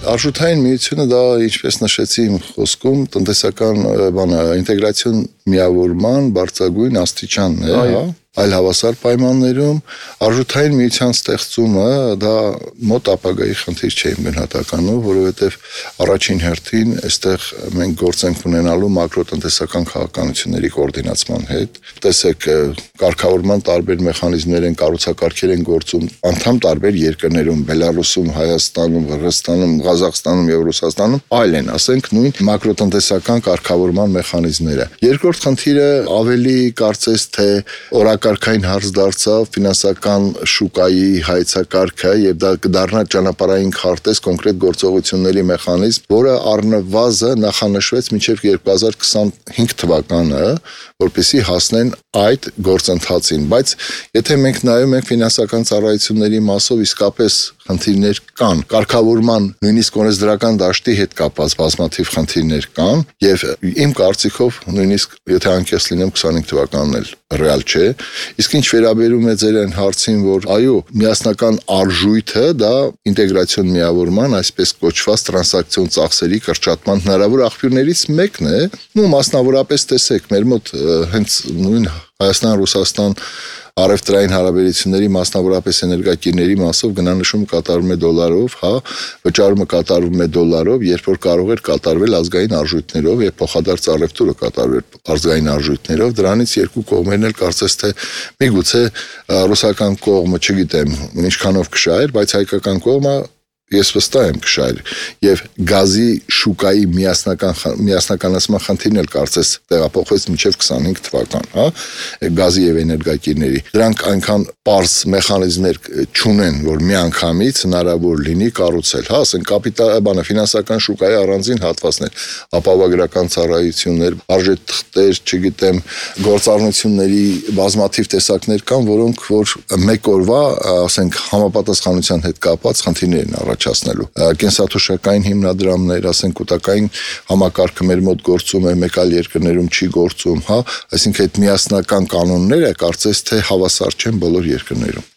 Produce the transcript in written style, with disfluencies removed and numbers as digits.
Արժութային միությունը դա ինչպես նշեցի իմ խոսքում, տնտեսական ինտեգրացիոն միավորման բարձրագույն աստիճանն է, հա, այլ հավասար պայմաններում արժութային միության ստեղծումը դա մոտ ապագայի խնդիր չէ իմ գնահատականով, որովհետև առաջին հերթին այստեղ մենք գործ ենք ունենալու մակրոտնտեսական քաղաքականությունների կոորդինացման հետ։ Տեսեք, կարգավորման տարբեր մեխանիզմներ են, կառուցակարգեր են գործում անդամ տարբեր երկրներում, Բելարուսում, Հայաստանում, Վրաստանում, Ղազախստանում եւ Ռուսաստանում, այլ են, ասենք, նույն մակրոտնտեսական կարգավորման մեխանիզմները։ Երկրորդ խնդիրը ավելի կարծես թե օրակարգային հարց դարձավ ֆինանսական շուկայի հայեցակարգը եւ դա կդառնա ճանապարհային քարտեզ կոնկրետ գործողությունների մեխանիզմ, որը առնվազն նախանշվեց մինչեւ 2025 թվականը, որպեսզի հասնեն այդ գործընթացին, բայց եթե մենք նայում ենք ֆինանսական ծառայությունների մասով իսկապես խնդիրներ կան, կարգավորման նույնիսկ օրենսդրական դաշտի հետ կապված բազմաթիվ խնդիրներ կան եւ իմ կարծիքով նույնիսկ եթե անկեղծ լինեմ 25 թվականն էլ ռեալ չէ, իսկ ինչ վերաբերում է ձեր այն հարցին, որ այո, միասնական արժույթը դա ինտեգրացիոն միավորման, այսպես կոչված տրանզակցիոն ծախսերի կրճատման հնարավոր աղբյուրներից մեկն է, ու մասնավորապես տեսեք, մեր մոտ հենց նույն Հայաստան-Ռուսաստան առևտրային հարաբերությունների մասնավորապես էներգակիրների մասով գնանշումը կատարվում է դոլարով, հա, վճարումը կատարվում է դոլարով, երբ որ կարող էր կատարվել ազգային արժույթներով եւ փոխադարձ առևտուրը կատարվել ազգային արժույթներով, դրանից երկու կողմերն էլ կարծես թե միգուցե ռուսական կողմը, չգիտեմ, ինչքանով կշահեր, բայց հայկական կողմը ես վստահ եմ կշահել եւ գազի շուկայի միասնականացման խնդիրն էլ կարծես տեղափոխվեց մինչեւ 25 թվական, հա, գազի եւ էներգակիրների։ Դրանք այնքան պարզ մեխանիզմներ չունեն, որ միանգամից հնարավոր լինի կառուցել, հա, ասենք կապիտալ ֆինանսական շուկայի առանձին հատվածներ, ապահովագրական ծառայություններ, արժեթղթեր, չգիտեմ, գործառնությունների բազմաթիվ տեսակներ կան, որոնք որ մեկ օրվա, ասենք, համապատասխանության հետ կապված խնդիրներ են առաջացնելու։ Կենսաթոշակային հիմնադրամներ, ասենք կൂട്ടակային համակարգը մեր մոտ գործում է, մեկ այլ երկրներում չի գործում, հա, այսինքն այդ միասնական կանոնները կարծես թե հավասար չեն բոլոր երկրներում։